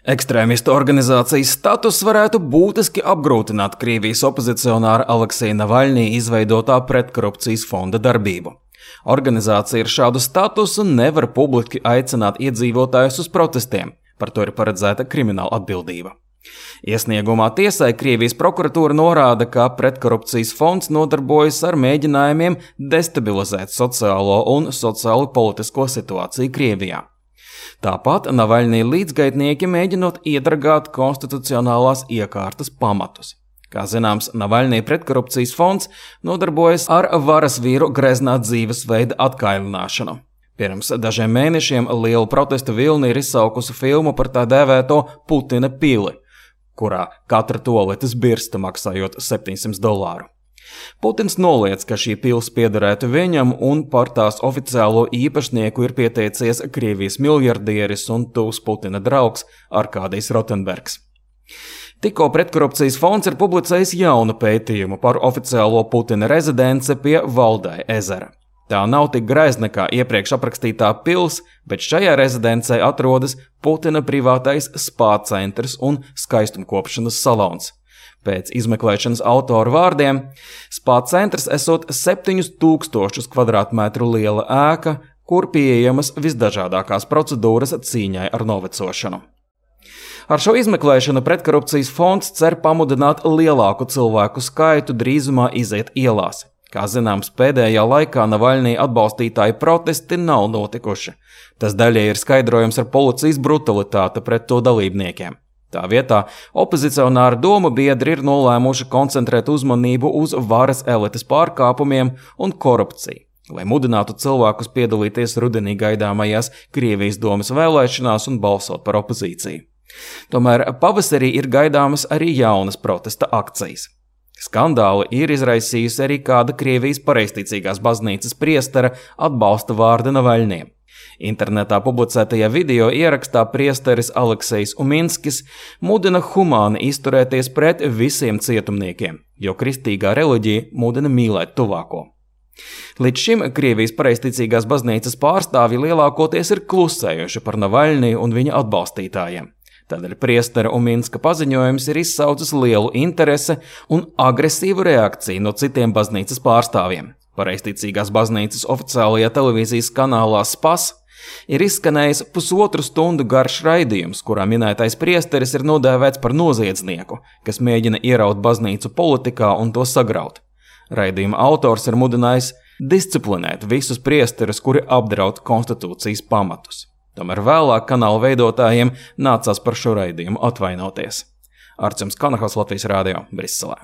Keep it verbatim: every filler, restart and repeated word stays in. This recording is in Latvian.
Ekstrēmistu organizācijas status varētu būtiski apgrūtināt Krievijas opozicionāra Alekseja Navaļņī izveidotā pretkorupcijas fonda darbību. Organizācija ar šādu statusu nevar publiski aicināt iedzīvotājus uz protestiem, par to ir paredzēta krimināla atbildība. Iesniegumā tiesai Krievijas prokuratūra norāda, ka pretkorupcijas fonds nodarbojas ar mēģinājumiem destabilizēt sociālo un sociālo politisko situāciju Krievijā. Tāpat Navaļņī līdzgaitnieki mēģinot iedragāt konstitucionālās iekārtas pamatus. Kā zināms, Navaļņī pretkorupcijas fonds nodarbojas ar varas vīru greznā dzīvesveida atkailināšanu. Pirms dažiem mēnešiem lielu protestu vilni ir izsaukusi filmu par tā dēvēto Putina pili, kurā katra toaletes birsta maksājot septiņsimt dolāru. Putins noliedz, ka šī pils piederētu viņam, un par tās oficiālo īpašnieku ir pieteicies Krievijas miljardieris un tuvs Putina draugs Arkādijs Rotenbergs. Tikko pretkorupcijas fonds ir publicējis jaunu pētījumu par oficiālo Putina rezidenci pie Valdai ezera. Tā nav tik greizna kā iepriekš aprakstītā pils, bet šajā rezidencē atrodas Putina privātais spā centrs un skaistumkopšanas salons. Pēc izmeklēšanas autoru vārdiem, spā centrs esot septiņus tūkstošus kvadrātmetru liela ēka, kur pieejamas visdažādākās procedūras cīņai ar novecošanu. Ar šo izmeklēšanu pretkorupcijas fonds cer pamudināt lielāku cilvēku skaitu drīzumā iziet ielās. Kā zināms, pēdējā laikā Navaļņī atbalstītāju protesti nav notikuši. Tas daļai ir skaidrojams ar policijas brutalitāti pret to dalībniekiem. Tā vietā opozicionāri domu biedri ir nolēmuši koncentrēt uzmanību uz varas elites pārkāpumiem un korupciju, lai mudinātu cilvēkus piedalīties rudenī gaidāmajās Krievijas domas vēlēšanās un balsot par opozīciju. Tomēr pavasarī ir gaidāmas arī jaunas protesta akcijas. Skandāli ir izraisījusi arī kāda Krievijas pareizticīgās baznīcas priestera atbalsta vārda Navaļņiem. Internetā publicētajā video ierakstā priesteris Aleksejs Uminskis mudina humāni izturēties pret visiem cietumniekiem, jo kristīgā reliģija mudina mīlēt tuvāko. Līdz šim Krievijas pareizticīgās baznīcas pārstāvji lielākoties ir klusējuši par Navaļņī un viņa atbalstītājiem. Tādēļ priestera Uminska paziņojums ir izsaucis lielu interesi un agresīvu reakciju no citiem baznīcas pārstāvjiem. Pareizticīgās baznīcas oficiālajā televīzijas kanālā Spas ir izskanējis pusotru stundu garš raidījums, kurā minētais priesteris ir nodēvēts par noziedznieku, kas mēģina ieraut baznīcu politikā un to sagraut. Raidījuma autors ir mudinājis disciplinēt visus priesterus, kuri apdraud konstitūcijas pamatus. Tomēr vēlāk kanāla veidotājiem nācās par šo raidījumu atvainoties. Arcums Kanahals, Latvijas Rādio, Briselē.